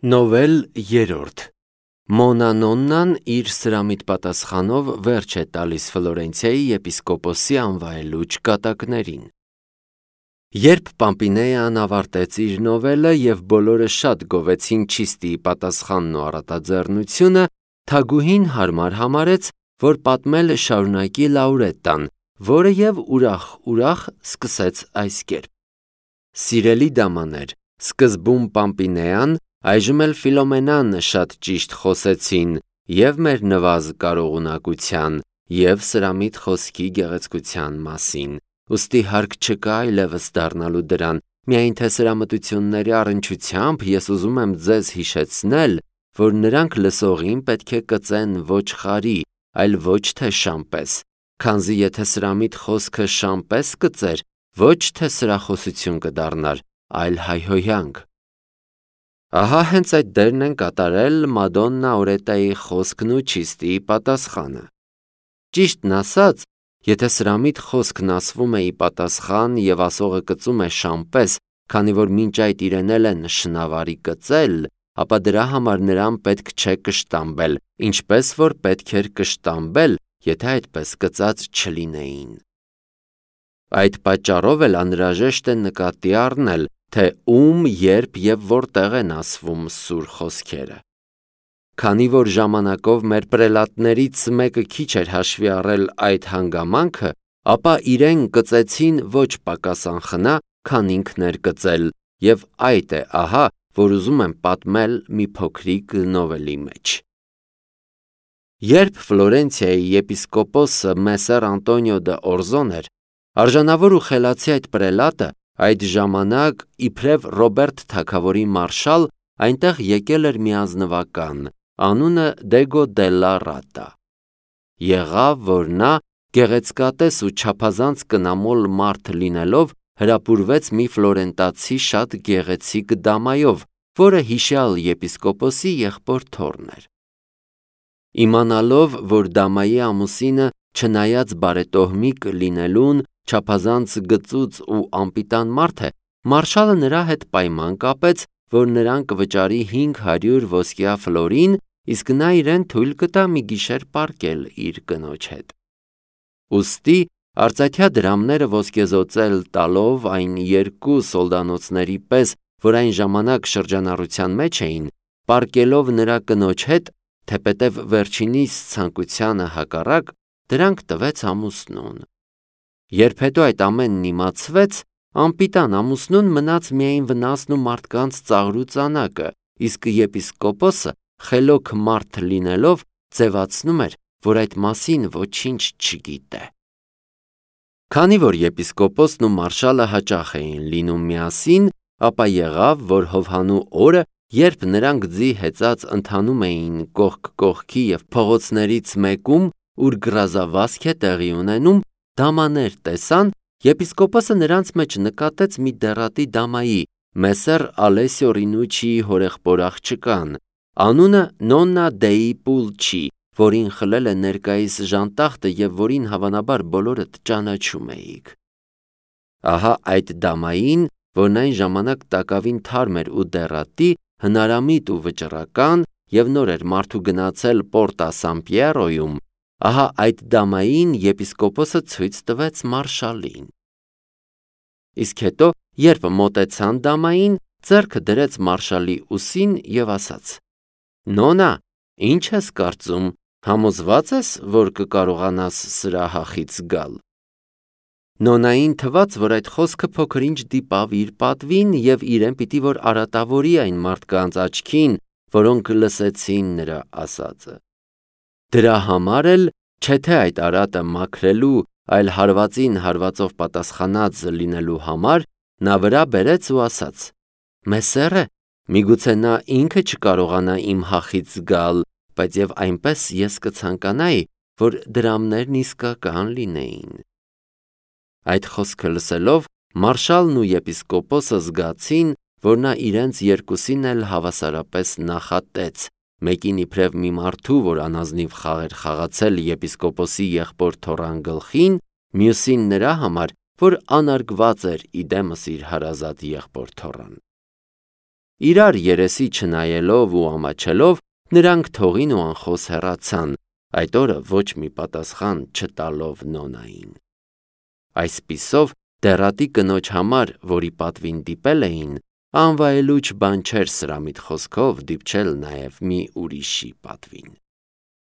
Նովել 3 Մոնանոննան իր սրամիտ պատասխանով վերջ է տալիս Ֆլորենցիայի եպիսկոպոսի անվայելուչ կատակներին։ Երբ Պամպինեան ավարտեց իր նովելը և բոլորը շատ գովեցին Չիստիի պատասխանն ու առատաձեռնությունը, թագուհին հարմար համարեց, որ պատմել շարունակի Լաուրետտան, որը և ուրախ սկսեց այս կերպ. «Սիրելի դամաներ, սկզբում Պամպինեան, այժմ էլ Ֆիլոմենան շատ ճիշտ խոսեցին և մեր նվազ կարողունակության, և սրամիտ խոսքի գեղեցկության մասին, ուստի հարկ չկա այլևս դառնալու դրան, միայն թե սրամտությունների առնչությամբ ես ուզում եմ ձեզ հիշեցնել, որ նրանք լսողին պետք է կծեն ոչխարի, այլ ոչ թե շան պես, քանզի եթե սրամիտ խոսքը շան պես կծեր, ոչ թե սրախոսություն կդառնար, այլ հայհոյանք»։ Ահա հենց այդ դերն են կատարել Մադոննա Օրետայի խոսքն ու Չիստիի պատասխանը։ Ճիշտն ասած, եթե սրամիտ խոսքն ասվում է ի պատասխան և ասողը կծում է շան պես, քանի որ մինչ այդ իրեն էլ են շնավարի կծել, ապա դրա համար նրան պետք չէ կշտամբել, ինչպես որ պետք էր կշտամբել, եթե այդպես կծած չլինեին։ Այդ պատճառով էլ անհրաժեշտ է նկատի առնել, թե ում, երբ և որտեղ են ասվում սուր խոսքերը։ Քանի որ ժամանակով մեր պրելատներից մեկը քիչ էր հաշվի առել այդ հանգամանքը, ապա իրեն կծեցին ոչ պակաս անխնա, քան ինքն էր կծել, և այդ է ահա, որ ուզում եմ պատմել մի փոքրիկ նովելի մեջ։ Երբ Ֆլորենցիայի եպիսկոպոսը Մեսսեր Անտոնիո դը Օրզոն էր, արժանավոր ու խելացի այդ պրելատը այդ ժամանակ իբրև Ռոբերտ թագավորի մարշալ այնտեղ եկել էր մի ազնվական, անունը Դեգո դելլա Ռատա։ Եղավ, որ նա գեղեցկատես ու չափազանց կնամոլ մարդ լինելով հրապուրվեց մի ֆլորենտացի շատ գեղեցիկ դամայով, որը հիշյալ եպիսկոպոսի եղբոր թոռն էր։ Իմանալով, որ դամայի ամուսինը չնայած բարետոհմիկ լինելուն չափազանց գծուծ ու անպիտան մարդ է, մարշալը նրա հետ պայման կապեց, որ նրան կվճարի 500 ոսկյա ֆլորին, իսկ նա իրեն թույլ կտա մի գիշեր պառկել իր կնոջ հետ։ Ուստի արծաթյա դրամները ոսկեզօծել տալով այն երկու սոլդանոցների պես, որ այն ժամանակ շրջանառության մեջ էին, պառկելով նրա կնոջ հետ, թեպետև վերջինիս ցանկությանը հակառակ, դրանք տվեց ամուսնուն։ Երբ հետո այդ ամենն իմացվեց, անպիտան ամուսնուն մնաց միայն վնասն ու մարդկանց ծաղր ու ծանակը, իսկ եպիսկոպոսը խելոք մարդ լինելով ձևացնում էր, որ այդ մասին ոչինչ չգիտե։ Քանի որ եպիսկոպոսն ու մարշալը հաճախ էին լինում միասին, ապա եղավ, որ հովհանու օրը, երբ նրանք ձի հեծած ընթանում էին կողք կողքի և փողոցներից մեկում, ուր գրազավազք է տեղի ունենում, դամաներ տեսան, եպիսկոպոսը նրանց մեջ նկատեց մի դեռատի դամայի, Մեսսեր Ալեսիո Ռինուչիի հորեղբոր աղջկան, անունը Նոննա Դեի Պուլչի, որին խլել է ներկայիս ժանտախտը և որին հավանաբար բոլորդ ճանաչում էիք։ Ահա այդ դամային, որն այն ժամանակ տակավին թարմ էր ու դեռատի, հնարամիտ ու վճռական և նոր էր մարդու գնացել Պորտա Սան Պիերոյում, ահա այդ դամային եպիսկոպոսը ցույց տվեց մարշալին։ Իսկ հետո, երբ մոտեցան դամային, ձեռքը դրեց մարշալի ուսին և ասաց. «Նոնա, ինչ ես կարծում, համոզվա՞ծ ես, որ կկարողանաս սրա հախից գալ»։ Նոնային թվաց, որ այդ խոսքը փոքր-ինչ դիպավ իր պատվին և իրեն պիտի որ արատավորի այն մարդկանց աչքին, որոնք լսեցին նրա ասածը։ Դրա համար էլ, չէ թե այդ արատը մաքրելու, այլ հարվածին հարվածով պատասխանած լինելու համար, նա վրա բերեց ու ասաց. «Մեսսերը, միգուցե նա ինքը չկարողանա իմ հախից գալ, բայց և այնպես ես կցանկանայի, որ դրամներն իսկական լինեին»։ Այդ խոսքը լսելով, մարշալն ու եպիսկոպոսը զգացին, որ նա իրենց երկուսին էլ հավասարապես նախատեց, մեկին իբրև մի մարդու, որ անազնիվ խաղ էր խաղացել եպիսկոպոսի եղբոր թոռան գլխին, մյուսին նրա համար, որ անարգված էր իդեմս իր հարազատ եղբոր թոռան։ Իրար երեսի չնայելով ու ամաչելով, նրանք թողին ու անխոս հեռացան, այդ օրը ոչ մի պատասխան չտալով Նոնային։ Այսպիսով, դեռատի կնոջ համար, որի պատվին դիպել էին, անվայելուչ բան չէր սրամիտ խոսքով դիպչել նաև մի ուրիշի պատվին։